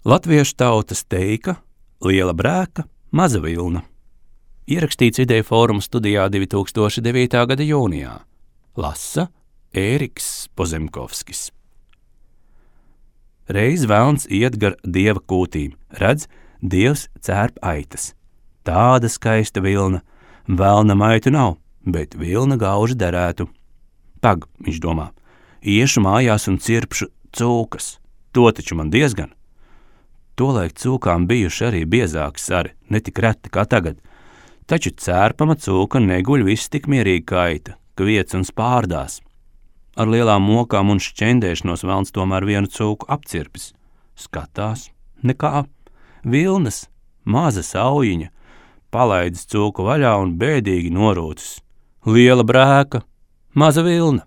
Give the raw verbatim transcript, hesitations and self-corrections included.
Latviešu tautas teika, liela brēka, maza vilna. Ierakstīts Ideju fóruma studijā divi tūkstoši devītā gada jūnijā. Lasa Ēriks Pozemkovskis. Reiz velns iet gar dieva kūtīm, redz, dievs cērp aitas. Tāda skaista vilna, velna maitu nav, bet vilna gauži derētu. Pag, viņš domā, iešu mājās un cirpšu cūkas, to taču man diezgan. Tolaik cūkām bijuši arī biezāki sari, ne tik reti kā tagad, taču cērpama cūka neguļ viss tik mierīgi kā aita, kviec un spārdās. Ar lielām mokām un šķendēšanos velns tomēr vienu cūku apcirpis. Skatās, nekā, vilnas, maza saujiņa, palaidis cūku vaļā un bēdīgi norūcis. Liela brēka, maza vilna.